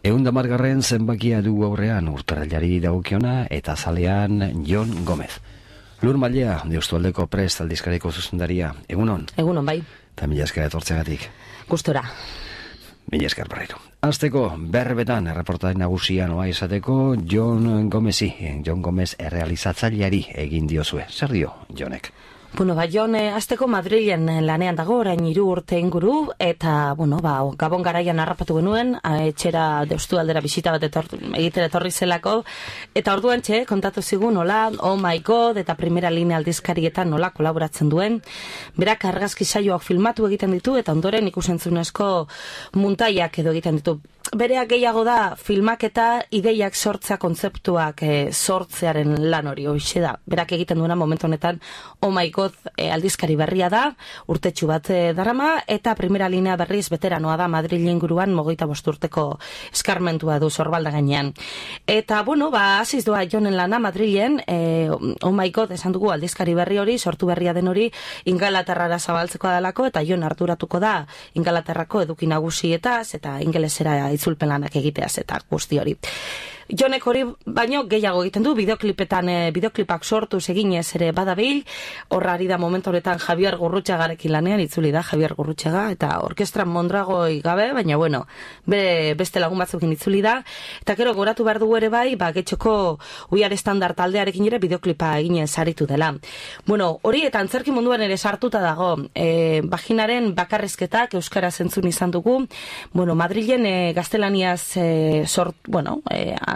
110. zenbakia du aurrean urtarrilari dagokiona eta zalean Jon Gomez. Lur Mailea, Deustualdeko Prest aldizkariko zuzendaria. Egunon? Egunon, bai. Eta mila esker etortzeagatik. Gustora. Mila esker barriro. Azteko, berbetan, erreportai nagusia noa izateko, Jon Gomezi, Jon Gomez errealizatzaileari egin diozue. Zer dio, Jonek? Bueno, Jon, azteko Madrilen lanean dago, orain 3 urte inguru, eta, Gabon garaian harrapatu genuen, etxera Deustualdera bisita bat egitera etorri zelako, eta orduan kontatu zigun, nola, Oh My God, eta Primera Linea aldizkarietan nola kolaboratzen duen, berak argazki saioak filmatu egiten ditu, eta ondoren ikusentzunezko muntaiak edo egiten ditu. Bereak gehiago da, filmak eta ideiak sortzea kontzeptuak sortzearen lan hori, hoxe da. Berak egiten duena momentu honetan, Oh My God aldizkari berria da, urtetxu bat darama, eta Primera Linea berriz veteranoa da Madrid inguruan 25 urteko eskarmentua du Sorbalda gainean. Eta, hasiz doa Jonen lana Madrilen, Oh My God esan dugu aldizkari berri hori, sortu berria den hori, Ingalaterrara zabaltzeko dalako, eta Jon arduratuko da Ingalaterrako eduki nagusietaz, eta ingelesera itzulpen lanak egiteaz eta guzti hori. Jonek hori baino gehiago egiten du, bideoklipak sortuz eginez ere badabil, horra ari da momentu honetan Javier Gurrutxagarekin lanean, itzuli da Javier Gurrutxaga, eta orkestra Mondragoi gabe, baina beste lagun batzukin itzuli da, eta gero goratu behar dugu ere bai, getxoko We Are Standard taldearekin ere bideoklipa eginez aritu dela. Hori eta antzerki munduan ere sartuta dago, baginaren bakarrizketak euskaraz entzun izan dugu, Madrilen gaztelaniaz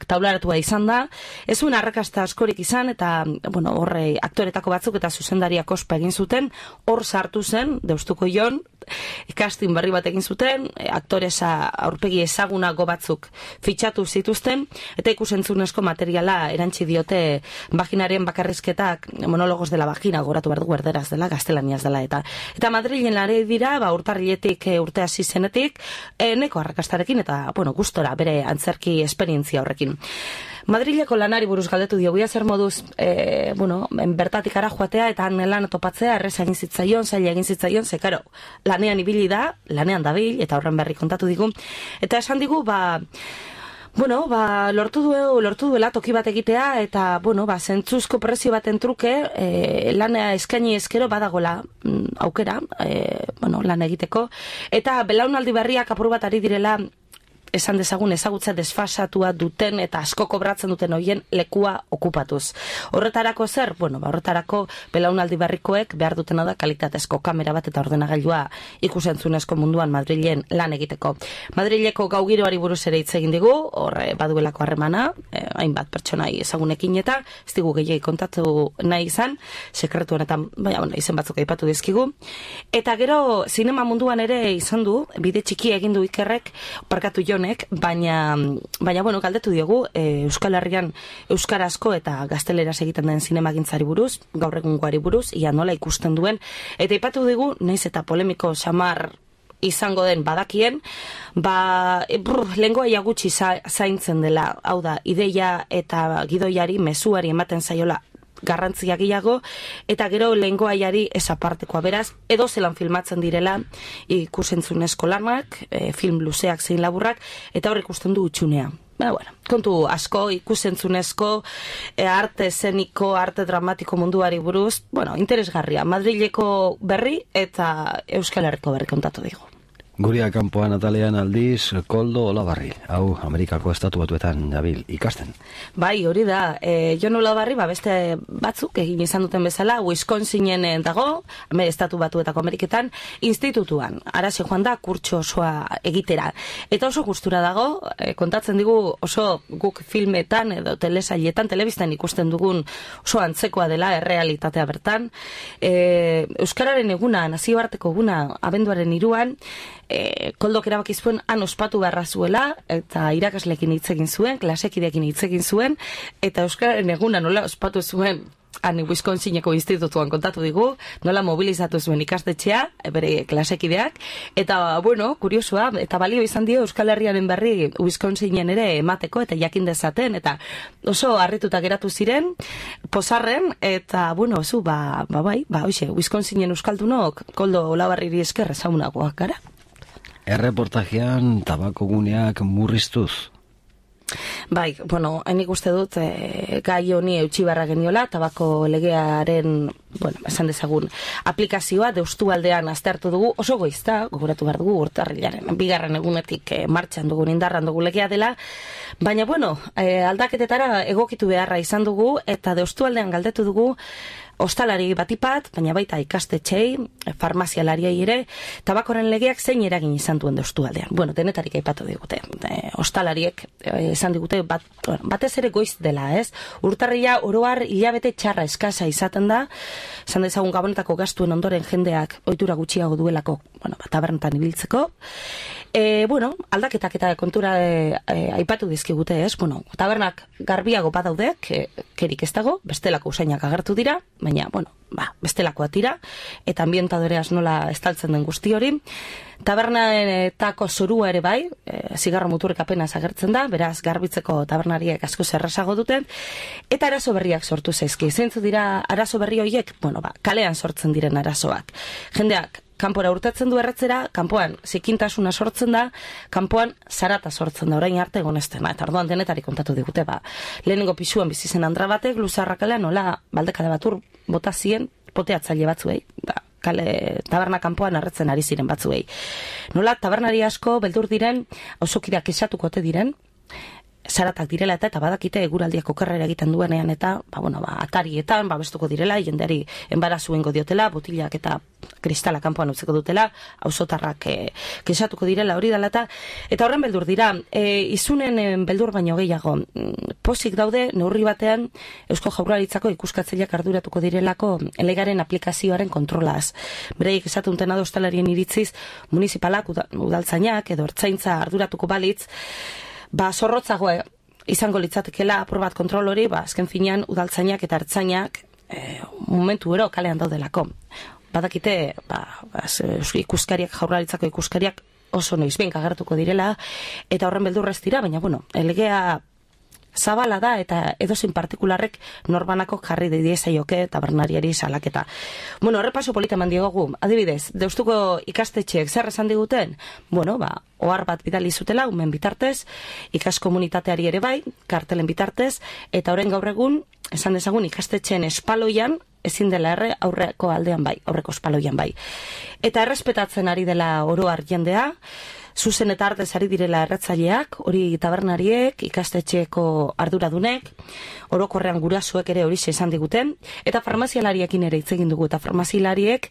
taularatua izan da, ez zuen arrakasta askorik izan, eta horre aktoretako batzuk eta zuzendariak ospa egin zuten, hor sartu zen, Deustuko Jon, casting berri bat egin zuten, aktoresa aurpegi ezagunago batzuk fitxatu zituzten, eta ikusentzunezko materiala erantzi diote baginaren bakarrizketak, monólogos de la vagina, goratu behar dugu erderaz dela, gaztelaniaz dela, eta Madrilen lare dira, urtarriletik urte hasi zenetik, neko arrakastarekin, eta gustora bere antzerki esperientzia horrekin. Madrileko lanari buruz galdetu dio, guia zer moduz, bertatik ara joatea eta lan topatzea, erreza egin zitzaion, zaila egin zitzaion, zekaro, lanean ibili da, lanean dabil, eta horren berri kontatu digu, eta esan digu, lortu duela toki bat egitea, eta, zentzuzko prezio baten truke, lana eskaini eskero badagola aukera, lan egiteko, eta belaunaldi berriak apur bat ari direla, esan dezagun ezagutza desfasatua duten eta asko kobratzen duten hoien lekua okupatuz. Horretarako zer? Horretarako belaunaldi berrikoek behar dutena da kalitatezko kamera bat eta ordenagailua ikusentzunezko munduan Madrilen lan egiteko. Madrileko gaugiroari buruz ere hitz egin digu, horre baduelako harremana, hainbat pertsonai ezagunekin eta ez digu gehiagi kontatu nahi izan, sekretu honetan, izen batzuk aipatu dizkigu. Eta gero, zinema munduan ere izan du, bide txiki egin du Ikerrek, parkatu Jonek, baina galdetu diogu Euskal Herrian euskarazko eta gazteleraz egiten den zinemagintzari buruz, gaur egungoari buruz, ia nola ikusten duen, eta aipatu digu, naiz eta polemiko samar izango den badakien, lengoaia gutxi zaintzen dela, hau da, ideia eta gidoiari, mezuari ematen zaiola garrantzia gehiago, eta gero lengoaiari esapartekoa, beraz, edo zelan filmatzen direla ikusentzunezko lanak, film luzeak zein laburrak, eta hor ikusten du utxunea. Kontu asko ikusentzunezko arte eszeniko, arte dramatiko munduari buruz, interesgarria, Madrileko berri eta Euskal Herriko berri kontatu digu. Guria kanpoan atalean aldiz, Koldo Olabarri, hau Amerikako estatu batuetan dabil ikasten. Bai, hori da, Jon Olabarri, beste batzuk egin izan duten bezala, Wisconsinen dago, estatu batuetako Ameriketan, institutuan, arazi joan da, kurtso osoa egitera. Eta oso gustura dago, kontatzen digu oso guk filmetan edo telesailetan, telebistan ikusten dugun oso antzekoa dela, errealitatea bertan. Euskararen eguna, nazioarteko eguna, abenduaren 3, Koldok erabaki zuen han ospatu beharra zuela, eta irakaslekin hitz egin zuen, klasekideekin hitz egin zuen, eta euskararen eguna nola ospatu zuen han Wisconsineko institutuan kontatu digu, nola mobilizatu zuen ikastetxea, bere klasekideak, eta, kuriosua, eta balio izan dio Euskal Herriaren berri Wisconsinen ere emateko, eta jakin dezaten, eta oso harrituta geratu ziren, pozarren, eta, hoxe, Wisconsinen euskaldunok, Koldo Olabarriri esker ezagunagoak gara. Erreportajean tabako guneak murriztuz. Bai, bueno, nik uste dut gai honi eutxi barra geniola, tabako legearen, esan dezagun, aplikazioa deustu aldean aztertu dugu, oso goizta, gogoratu behar dugu urtarrilaren, bigarren egunetik martxan dugun, indarran dugu legea dela, baina, aldaketetara egokitu beharra izan dugu, eta deustu aldean galdetu dugu, ostalari batipat, baina baita ikastetxei, farmazialariei ere, tabakoren legeak zein eragin izan duen deustu aldean. Denetarik aipatu digute. Ostalariek esan digute batez ere goiz dela, ez? Urtarrila oroar hilabete txarra eskasa izaten da, esan dezagun gabonetako gastuen ondoren jendeak ohitura gutxiago duelako, tabernetan ibiltzeko. Aldaketak eta kontura aipatu dizkigute, ez? Tabernak garbiago badaude, kerik ez dago, bestelako usainak agertu dira, baina, bestelakoa tira, eta ambientadoreaz nola estaltzen den guzti hori. Tabernetako zorua ere bai, zigarro muturrek apenas agertzen da, beraz, garbitzeko tabernariek asko zerrasago duten, eta arazo berriak sortu zaizki. Zeintzu dira arazo berri horiek? Kalean sortzen diren arazoak. Jendeak, kanpora urtatzen du erretzera, kanpoan zikintasuna sortzen da, kanpoan zarata sortzen da, orain arte egonestena, eta orduan denetari kontatu digute, lehenengo pisuan bizizen andra batek, luzarra kalean, nola baldekade batur bota zien poteatzaile batzuei, taberna kanpoan arretzen ari ziren batzuei. Nola tabernari asko beldur diren, auzokideak esatuko ote diren, zaratak direla eta badakite eguraldiak okerrera egiten duenean eta, atarietan, babestuko direla, jendeari enbarazuengo diotela, botilak eta kristala kanpoan utzeko dutela, auzotarrak kesatuko direla hori dela eta horren beldur dira, izunen beldur baino gehiago, pozik daude neurri batean Eusko Jaurlaritzako ikuskatzaileak arduratuko direlako legaren aplikazioaren kontrolaz. Bereik esatunten ado ostalarien iritziz, municipalak, udaltzainak edo ertzaintza arduratuko balitz, zorrotzago izango litzatekela apur bat kontrol hori, azken finean udaltzainak eta ertzainak momentu ero kalean daudelako. Badakite, ikuskariak, Jaurlaritzako ikuskariak oso noizbein agertuko direla, eta horren beldurrez dira, baina, legea zabala da eta edozein partikularrek norbanako jarri diezaioke tabernariari salaketa. Errepaso polita eman diogu, adibidez, deustuko ikastetxeek zer esan diguten? Ohar bat bidali zutela, umen bitartez, ikaskomunitateari ere bai, kartelen bitartez, eta orain gaur egun, esan dezagun ikastetxeen espaloian, ezin dela aurreko aldean bai, aurreko espaloian bai. Eta errespetatzen ari dela oroar jendea, zuzen eta artez ari direla erretzaileak, hori tabernariek, ikastetxeeko arduradunek, orokorrean gurasoek ere hori izan diguten, eta farmazialariekin ere hitz egin dugu, eta farmazialariek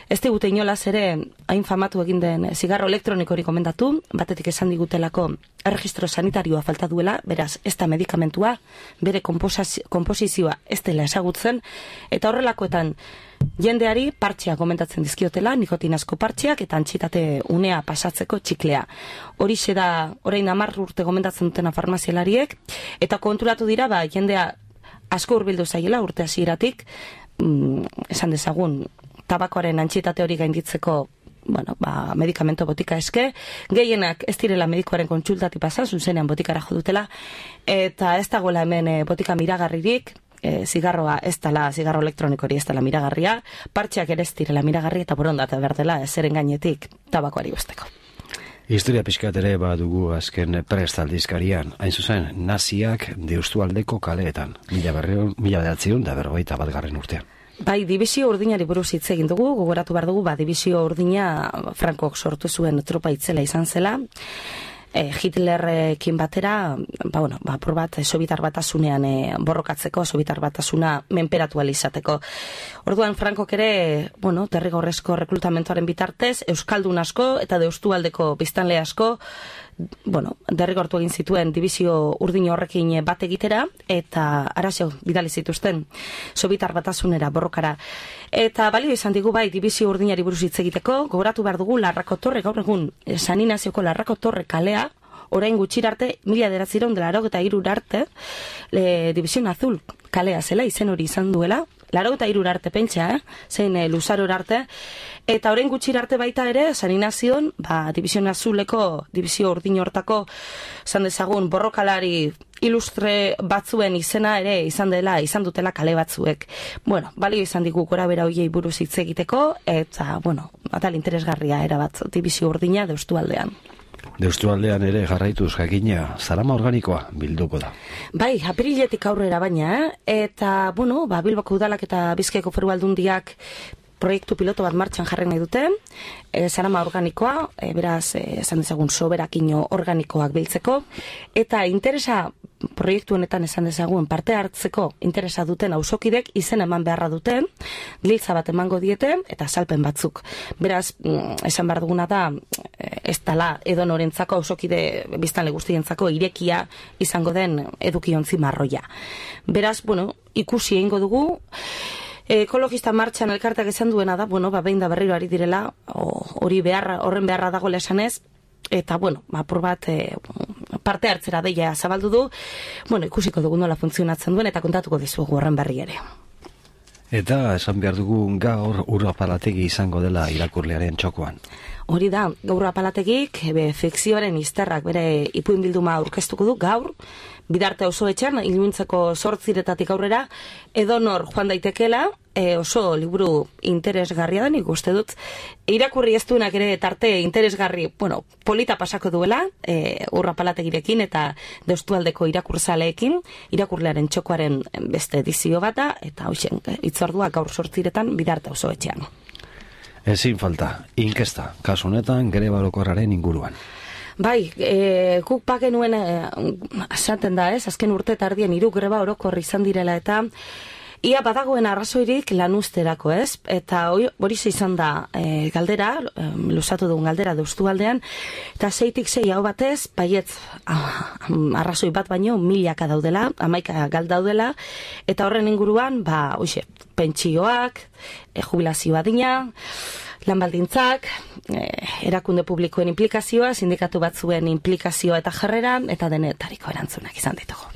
ez digute inolaz ere hain famatu egin den zigarro elektroniko hori komendatu, batetik esan digutelako erregistro sanitarioa falta duela, beraz ez da medikamentua, bere konposizioa ez dela ezagutzen, eta horrelakoetan jendeari partxeak komentatzen dizkiotela, nikotinazko partxeak eta antxitate unea pasatzeko txiklea. Horixe da, orain 10 urte gomendatzen dutena farmazialariek, eta konturatu dira, jendea asko hurbildu zaiela urte hasieratik, esan dezagun, tabakoaren antxitate hori gainditzeko medikamento botika eske, gehienak ez direla medikoaren kontsultati pasa, zuzenean botikara jo dutela, eta ez dagoela hemen botika miragarririk, zigarroa ez dela, zigarro elektronikori ez dela miragarria, partxeak ere ez direla miragarri eta borondate berdela zeren gainetik tabakoari besteko. Historia pixkat ere badugu azken prestaldizkarian, hain zuzen, naziak deustualdeko kaleetan, 1941 urtean. Bai, dibizio urdinari buruz hitz egin dugu, gogoratu behar dugu, dibizio urdina Frankok sortu zuen tropa itzela izan zela, Hitlerrekin batera, apur bat, Sobietar Batasunean borrokatzeko, Sobietar Batasuna menperatu izateko. Orduan, Frankok ere, derrigorrezko rekrutamentoaren bitartez, Euskaldun asko eta deustualdeko biztanle asko, derrigortu egin zituen dibizio urdin horrekin bat egitera, eta arazo bidali zituzten Sobietar Batasunera borrokara. Eta balio izan digu bai dibizio urdinari buruz hitz egiteko, gogoratu behar dugu Larrako Torre, gaur egun San Inazioko Larrako Torre kalea, orain gutxirarte, 1983 arte, División Azul kalea zela, izen hori izan duela, 83 arte pentsa, zein luzaro arte, eta orain gutxirarte baita ere, San Inazion, División Azuleko, Divizio urdin hortako, zan dezagun, borrokalari ilustre batzuen izena ere izan dutela kale batzuek. Balio izan digu gora bera hoiei buruz hitz egiteko, eta, atal interesgarria erabat, dibizio urdina Deustualdean. Deustualdean ere jarraituz jakina, zarama organikoa bilduko da. Bai, apiriletik aurrera baina, eta, Bilboko udalak eta Bizkaiko Foru Aldundiak proiektu piloto bat martxan jarri nahi dute, zarama organikoa, beraz, esan dezagun soberakino organikoak biltzeko, eta interesa proiektu honetan esan dezagun parte hartzeko interesa duten auzokidek izen eman beharra duten, giltza bat emango diete, eta salpen batzuk. Beraz, esan behar duguna da, ez dala edonorentzako auzokide biztanle guztientzako irekia izango den edukiontzi marroia. Beraz, ikusi egingo dugu, ekologista martxan elkartak esan duena da, behin da berriro ari direla, horren beharra dagoela esanez, eta, apur bat parte hartzera deia zabaldu du, ikusiko dugu nola funtzionatzen duen, eta kontatuko dizugu horren berri ere. Eta esan behar dugu gaur Urrapalategi izango dela irakurlearen txokoan. Hori da, gaur Urrapalategik fikzioaren izterrak bere ipuin bilduma aurkeztuko du gaur, Bidarte Auzoetxean, Iluntzeko 8 aurrera, edonor joan daitekela, oso liburu interesgarria da, nik uste dut. Irakurri ez duenak ere tarte interesgarri, polita pasako duela, Urrapalategirekin eta Deustualdeko irakurzaleekin, irakurlearen txokoaren beste edizio bata, eta hoxen, itzordua gaur 8 Bidarte Auzoetxean. Ezin falta, inkesta, kasu honetan greba orokorraren inguruan. Bai, guk bagenuen esaten da, azken urte tardien 3 greba orokor izan direla eta ia badagoen arrazoirik lanuzterako, ez? Eta hori izan da galdera, luzatu dugun galdera Deustualdean, eta 6-6 hau batez, baietz arrazoi bat baino milaka daudela, 11 gal daudela, eta horren inguruan, pentsioak, jubilazio adina, lanbaldintzak, erakunde publikoen implikazioa, sindikatu batzuen implikazioa eta jarrera, eta denetariko erantzunak izan ditugu.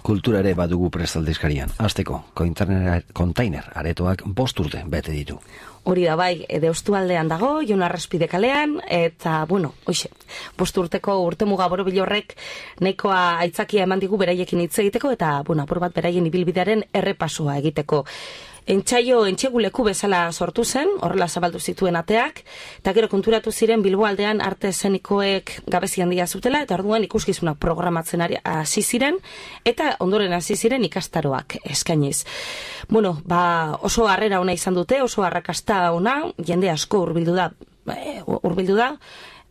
Kultura ere badugu prestaldizkarian. Azteko, kontainer aretoak 5 urte bete ditu. Hori da bai, Deustualdean dago, Jon Arraspide kalean, eta, 5 urteko urtemuga borobil horrek nahikoa aitzakia eman digu beraiekin hitz egiteko, eta, apur bat beraien ibilbidearen errepasoa egiteko. Entxegu leku bezala sortu zen, horrela zabaldu zituen ateak, eta gero konturatu ziren Bilboaldean arte eszenikoek gabezi handia zutela, eta orduan ikuskizunak programatzen hasi ziren, eta ondoren hasi ziren ikastaroak eskainiz. Oso harrera ona izan dute, oso arrakasta ona, jende asko hurbildu da,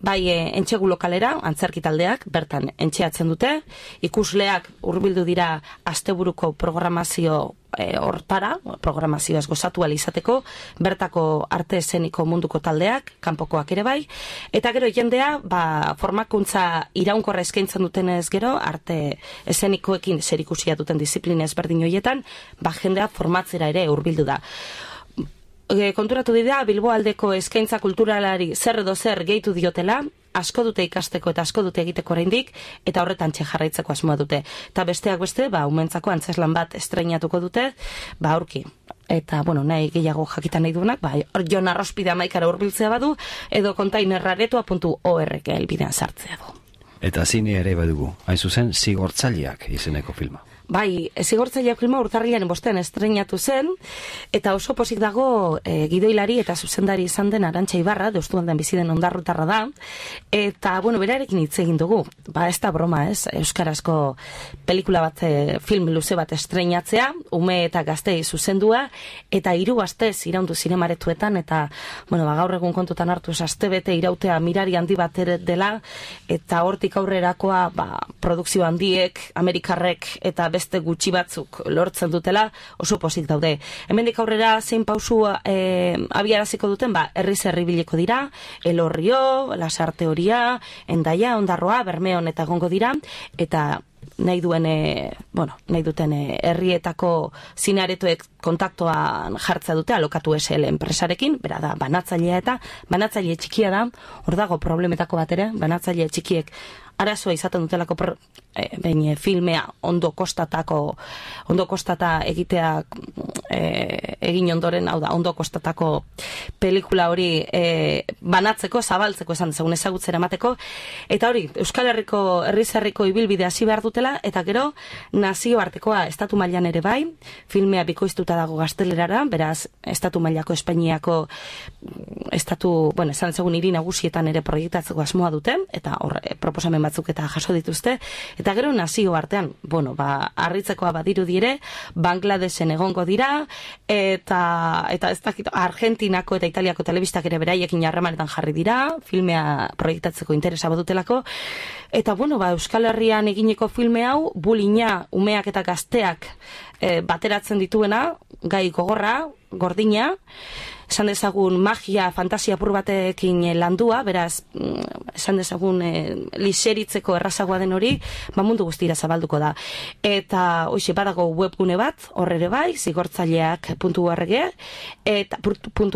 bai entxegu lokalera, antzerki taldeak, bertan entxeatzen dute, ikusleak hurbildu dira asteburuko programazio hortara, programazioaz gozatu izateko, bertako arte eszeniko munduko taldeak, kanpokoak ere bai, eta gero jendea, formakuntza iraunkorra eskaintzen dutenez gero, arte eszenikoekin zerikusia duten disiplina ezberdin horietan, jendea formatzera ere hurbildu da. Konturatu dira, Bilboaldeko eskaintza kulturalari zer edo zer gehitu diotela, asko dute ikasteko eta asko dute egiteko oraindik, eta horretan jarraitzeko asmoa dute. Eta besteak beste, umentzako antzeslan bat estreinatuko dute, aurki. Eta, nahi gehiago jakitan nahi duenak, Jon Arraspide 11 hurbiltzea badu, edo kontainerraretua.org elbidean sartzea du. Eta zine ere badugu, hain zuzen, Zigortzaileak izeneko filma. Bai, Zigortzaileak filma urtarrilaren 5 estreinatu zen, eta oso pozik dago gidoilari eta zuzendari izan den Arantxa Ibarra, Deustualdean bizi den ondarrutarra da, eta, berarekin hitz egin dugu. Ez da broma, ez? Euskarazko pelikula bat, film luze bat estreinatzea, ume eta gaztei zuzendua, eta 3 astez iraundu zinemaretuetan, eta, gaur egun kontutan hartu astebete irautea mirari handi bat dela, eta hortik aurrerakoa, produkzio handiek, Amerikarrek, eta beste gutxi batzuk lortzen dutela, oso pozik daude. Hemendik aurrera zein pausu abiaraziko duten, herriz herri biliko dira, Elorrio, Lasarte Horia, Endaia, Ondarroa, Bermeon eta egongo dira, eta nahi duten herrietako zinearetoek kontaktoan jartza dute Alokatu SL enpresarekin, bera da banatzailea eta banatzaile txikia da, hor dago problemetako bat ere, banatzaile txikiek arazoa izaten dutelako behin filmea ondo kostata egitea egin ondoren, hau da, ondo kostatako pelikula hori banatzeko, zabaltzeko esan dezagun ezagutzera emateko, eta hori, Euskal Herriko herrizarriko ibilbide hasi behar dutela, eta gero nazioartekoa estatu mailan ere bai, filmea bikoiztuta dago gaztelerara, beraz, estatu mailako Espainiako bueno, esan dezagun hiri nagusietan ere proiektatzeko asmoa duten, eta hor, proposamen batzuk eta jaso dituzte, eta gero nazioartean, bueno, harritzekoa badirudi ere, Bangladesen egongo dira, eta ez dakit, Argentinako eta Italiako telebistak ere beraiekin harremanetan jarri dira, filmea proiektatzeko interesa badutelako, eta bueno, Euskal Herrian eginiko filme hau, bulina, umeak eta gazteak bateratzen dituena, gai gogorra, gordina, esan dezagun magia, fantasia apur batekin landua, beraz, esan dezagun liseritzeko errazagoa den hori, mundu guztira zabalduko da. Eta, hoxe, badago webgune bat, horre bai, zigortzaileak.org, eta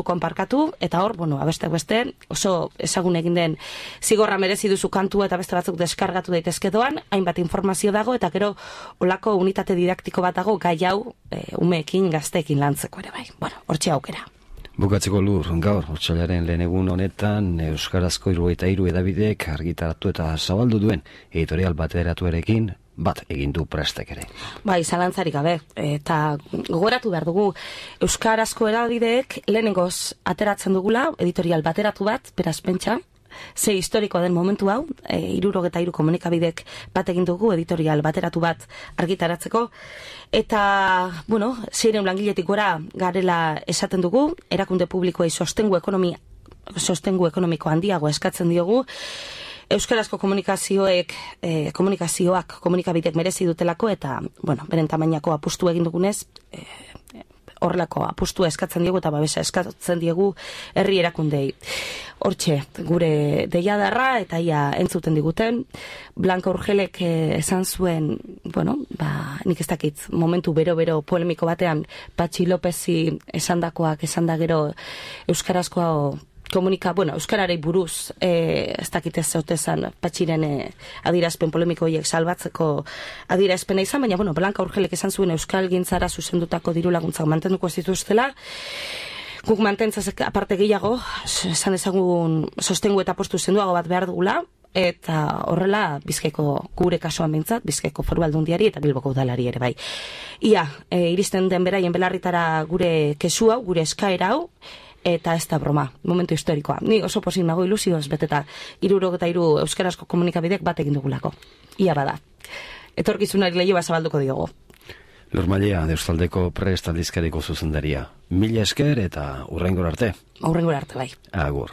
.com parkatu, eta hor, bueno, beste, oso ezagun egin den zigorra merezi duzu kantua eta beste batzuk deskargatu daitezke doan, hainbat informazio dago, eta gero, olako unitate didaktiko bat dago, gai hau, umeekin, gazteekin lantzeko ere bai. Bueno, hortxe aukera. Bukatzeko Lur, gaur, otsailaren lehen egun honetan, Euskarazko 73 edabidek argitaratu eta zabaldu duen editorial bateratuarekin bat egin du prestek ere. Bai, zalantzarik gabe, eta gogoratu behar dugu, Euskarazko edabideek lehenengoz ateratzen dugula, editorial bateratu bat, beraz pentsa, ze historikoa den momentu hau, 73 komunikabidek bat egin dugu, editorial bateratu bat argitaratzeko, eta, bueno, 600 langiletik gora garela esaten dugu, erakunde publikoei sostengu ekonomiko handiago eskatzen diogu, Euskarazko komunikazioak komunikabidek merezi dutelako, eta, bueno, beren tamainako apustu egin dugunez, horrelako apustua eskatzen diegu eta babesa eskatzen diegu herri erakundei. Hortxe, gure deiadarra eta ia entzuten diguten, Blanca Urgelek esan zuen, bueno, nik ez dakit, momentu bero polemiko batean, Patxi Lopezi esandakoak esanda gero euskarazkoa euskararei buruz, ez dakit ez zotezan Patxiren adierazpen polemiko horiek salbatzeko adierazpena izan, baina, bueno, Blanca Urgelek esan zuen euskal gintzara zuzendutako diru laguntzak mantenduko ez dituztela, guk mantentzazek aparte gehiago, esan ezagun sostengu eta postu zenduago bat behar dugula, eta horrela Bizkaiko gure kasuan bintzat, Bizkaiko Foru Aldundiari eta Bilboko udalari ere bai. Ia, iristen den beraien belarritara gure kesu hau, gure eskaera hau, eta ez da broma, momentu historikoa. Ni oso pozik nago ilusioz beteta 73 euskarazko komunikabidek bat egin dugulako. Ia bada. Etorkizunari leiho zabalduko diogo. Lur Mailea, Deustaldeko prest aldizkariko zuzendaria. Mila esker eta hurrengora arte. Hurrengora arte bai. Agur.